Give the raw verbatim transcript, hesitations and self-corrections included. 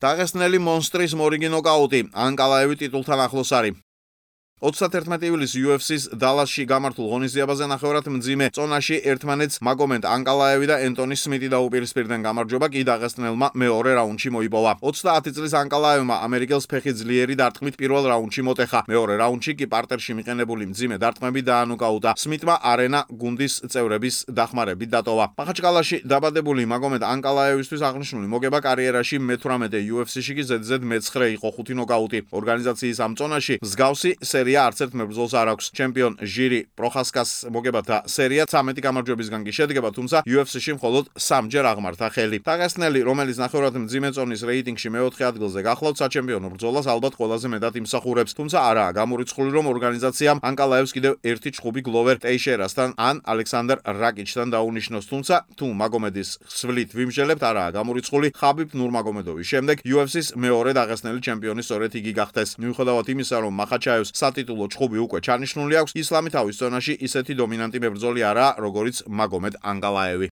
დაღესტნელი მონსტრის მორიგი ნოკაუტი, ანკალაევი ტიტულთან ახლოს არის. ოცდაათერთმეტი ივლისს იუ ეფ სის დალასში გამართულ ღონისძიებაზე ნახევრად მძიმე წონაში ერთმანეთს მაგომედ ანკალაევი და ენტონი სმიტი დაუპირისპირდნენ. გამარჯვება კი დაღესტნელმა მეორე რაუნდში მოიპოვა. ოცდაათი წლის ანკალაევმა ამერიკელს ფეხი ძლიერი დარტყმით პირველ რაუნდში მოტეხა. მეორე რაუნდში კი პარტერში მიყენებული მძიმე დარტყმები დაანოკაუტა. სმიტმა არენა გუნდის წევრების დახმარებით დატოვა. მახაჩკალაში დაბადებული მაგომედ ანკალაევისთვის აღნიშნული მოგება კარიერაში მეთვრამეტე იუ ეფ სიში კი ზედიზედ მეცხრე იყო ხუთი ნოკაუტი. ორგანიზაციის ამ წონაში მსგავსი სერია არც ერთ მებრძოლს არ აქვს. ჩემპიონ ჟირი პროხასკას მოგებათა სერია ცამეტი გამარჯვებისგან კი შედგება, თუმცა იუ ეფ სიში მხოლოდ სამჯერ აღმართა ხელი. დაღესტნელი, რომელიც ნახევრად მძიმე წონის რეიტინგში მეოთხე ადგილზე გახლავთ, საჩემპიონო ბრძოლას ალბათ ყველაზე მეტად იმსახურებს, თუმცა არაა გამორიცხული, რომ ორგანიზაციამ ანკალაევს კიდევ ერთი ჩხუბი გლოვერ ტეიშერასთან ან ალექსანდრ რაკიჩთან დაუნიშნოს, თუმცა თუ მაგომედის ხსვლით ვიმსჯელებთ, არაა გამორიცხული. ხაბიბ ნურმაგომედოვის შემდეგ იუ ეფ სის მეორე დაღესტნელი ჩემპიონი სწორედ იგი გახდეს. მიუხედავად იმისა, რომ მახაჩაევს სატიტულო ჩხუბი უკვე ჩანიშნული აქვს, ისლამი თავის ზონაში ისეთი დომინანტი მებრძოლი არაა, როგორიც მაგომედ ანკალაევი.